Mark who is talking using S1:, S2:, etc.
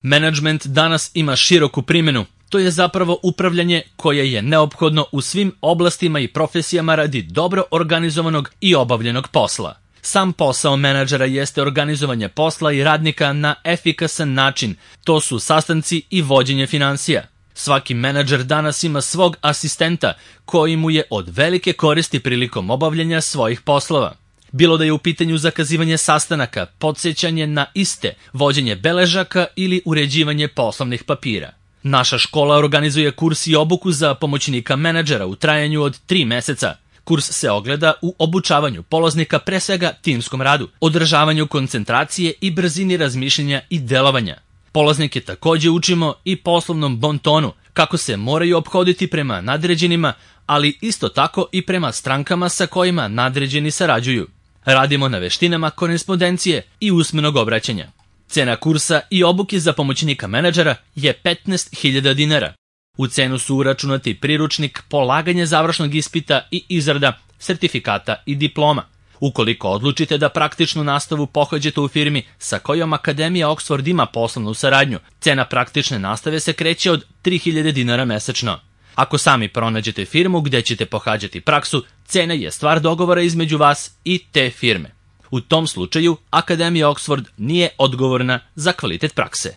S1: Menadžment danas ima široku primjenu. To je zapravo upravljanje koje je neophodno u svim oblastima i profesijama radi dobro organizovanog i obavljenog posla. Sam posao menadžera jeste organizovanje posla i radnika na efikasan način. To su sastanci i vođenje finansija. Svaki menadžer danas ima svog asistenta koji mu je od velike koristi prilikom obavljanja svojih poslova. Bilo da je u pitanju zakazivanje sastanaka, podsjećanje na iste, vođenje beležaka ili uređivanje poslovnih papira. Naša škola organizuje kurs i obuku za pomoćnika menadžera u trajanju od 3 meseca. Kurs se ogleda u obučavanju polaznika pre svega timskom radu, održavanju koncentracije i brzini razmišljanja i delovanja. Polaznike takođe učimo i poslovnom bontonu, kako se moraju ophoditi prema nadređenima, ali isto tako i prema strankama sa kojima nadređeni sarađuju. Radimo na veštinama korespondencije i usmenog obraćanja. Cena kursa i obuke za pomoćnika menadžera je 15.000 dinara. U cenu su uračunati priručnik, polaganje završnog ispita i izrada sertifikata i diploma. Ukoliko odlučite da praktičnu nastavu pohađate u firmi sa kojom Akademija Oxford ima poslovnu saradnju, cena praktične nastave se kreće od 3.000 dinara mesečno. Ako sami pronađete firmu gde ćete pohađati praksu, cena je stvar dogovora između vas i te firme. U tom slučaju, Akademija Oxford nije odgovorna za kvalitet prakse.